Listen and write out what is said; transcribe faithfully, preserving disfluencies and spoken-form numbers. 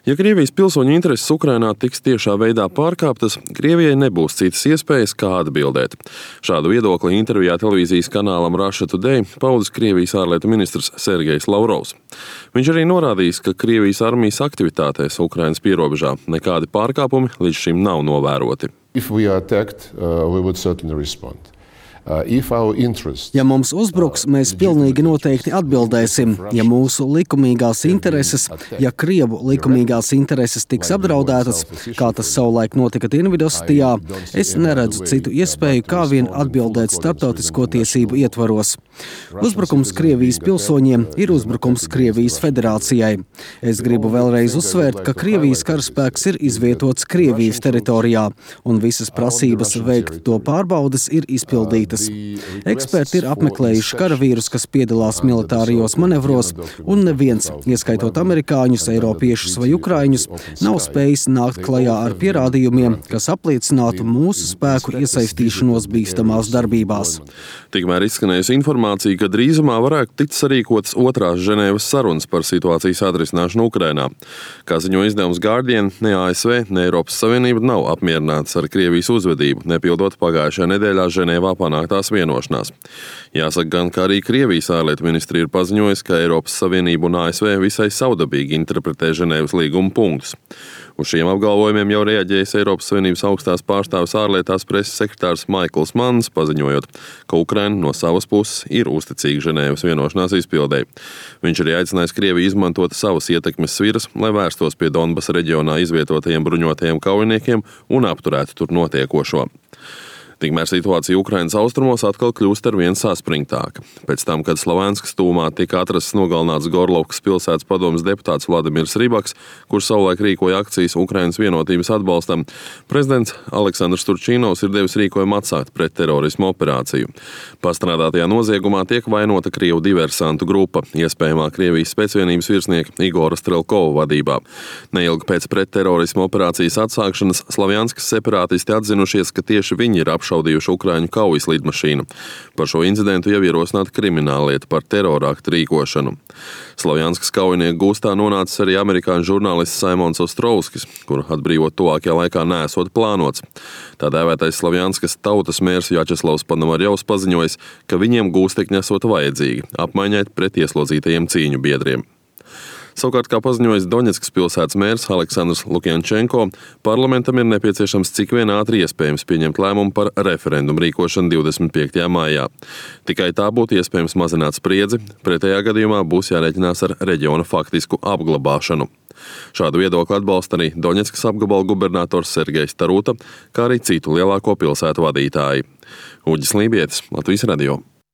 Ja Krievijas pilsoņu intereses Ukrainā tiks tiešā veidā pārkāptas, Krievijai nebūs citas iespējas, kā atbildēt. Šādu viedokli intervijā televīzijas kanālam Russia Today paudis Krievijas ārlietu ministrs Sergejs Lavrovs. Viņš arī norādījis, ka Krievijas armijas aktivitātēs Ukrainas pierobežā nekādi pārkāpumi līdz šim nav novēroti. If we are attacked, uh, we would certainly respond. Ja mums uzbruks, mēs pilnīgi noteikti atbildēsim. Ja mūsu likumīgās intereses, ja Krievu likumīgās intereses tiks apdraudētas, kā tas savulaik notika Dienvidostijā, es neredzu citu iespēju, kā vien atbildēt starptautisko tiesību ietvaros. Uzbrukums Krievijas pilsoņiem ir uzbrukums Krievijas federācijai. Es gribu vēlreiz uzsvērt, ka Krievijas karaspēks ir izvietots Krievijas teritorijā, un visas prasības veikt to pārbaudes ir izpildītas. Eksperti ir apmeklējuši karavīrus, kas piedalās militārijos manevros, un neviens, ieskaitot amerikāņus, eiropiešus vai ukraiņus, nav spējis nākt klajā ar pierādījumiem, kas apliecinātu mūsu spēku iesaistīšanos bīstamās darbībās. Tikmēr izskanējusi informācija, ka drīzumā varētu tikt sarīkotas otrās Ženēvas sarunas par situācijas atrisināšanu Ukrainā. Kā ziņo izdevums Guardian, ne A S V, ne Eiropas Savienība nav apmierinātas ar Krievijas uzvedību, nepildot pagājušajā nedēļā Ženēvā panāktās vienošanās. Jāsaka gan, ka arī Krievijas ārlietu ministrija ir paziņojusi, ka Eiropas Savienība un A S V visai savdabīgi interpretē Ženēvas līguma punktus. Uz šiem apgalvojumiem jau reaģējis Eiropas Savienības augstās pārstāves ārlietās preses sekretārs Maikls Manns, paziņojot, ka Ukraina no savas puses ir uzticīga Ženēvas vienošanās izpildēji. Viņš arī aicinājis Krieviju izmantot savas ietekmes sviras, lai vērstos pie Donbasa reģionā izvietotajiem bruņotajiem kaujiniekiem un apturētu tur notiekošo. Tikmēr situācija Ukrainas austrumos atkal kļūst ar vien saspringtāka. Pēc tam, kad Slovenskas tūmā tika atrasts nogalināts Gorlovkas pilsētas padomes deputāts Vladimirs Rybaks, kurš savulaik rīkoja akcijas Ukrainas vienotības atbalstam, prezidents Aleksandrs Turčīnovs ir devis rīkojumu atsākt pret terorismu operāciju. Pastrādātajā noziegumā tiek vainota Krievu diversantu grupa, iespējamā Krievijas spēcvienības virsnieka Igora Strelkova vadībā. Neilgi pēc pretterorismu operācijas atsākšanas Slavjanskas separātisti atzinušies, ka tieši viņi ir apšaudījuši šaudījuši Ukraiņu kaujas lidmašīnu. Par šo incidentu jau ierosināta krimināllieta par terorāktu rīkošanu. Slavjanskas kaujinieku gūstā nonācis arī amerikāņu žurnālists Saimons Ostrovskis, kuru atbrīvot tuvākajā laikā neesot plānots. Tā dēvētais Slavjanskas tautas mērs Jačeslavs Panomarjovs paziņojis, ka viņiem gūstekņi esot vajadzīgi, apmaiņai pret ieslodzītajiem cīņu biedriem. Savukārt, kā paziņojis Doņetskas pilsētas mērs Aleksandrs Lukjančenko, parlamentam ir nepieciešams cik vien ātri iespējams pieņemt lēmumu par referendumu rīkošanu divdesmit piektajā maijā. Tikai tā būtu iespējams mazināt spriedzi, pretējā gadījumā būs jārēķinās ar reģiona faktisku apglabāšanu. Šādu viedokli atbalsta arī Doņetskas apgabala gubernators Sergejs Taruta, kā arī citu lielāko pilsētu vadītāji. Uģis Lībietis, Latvijas radio.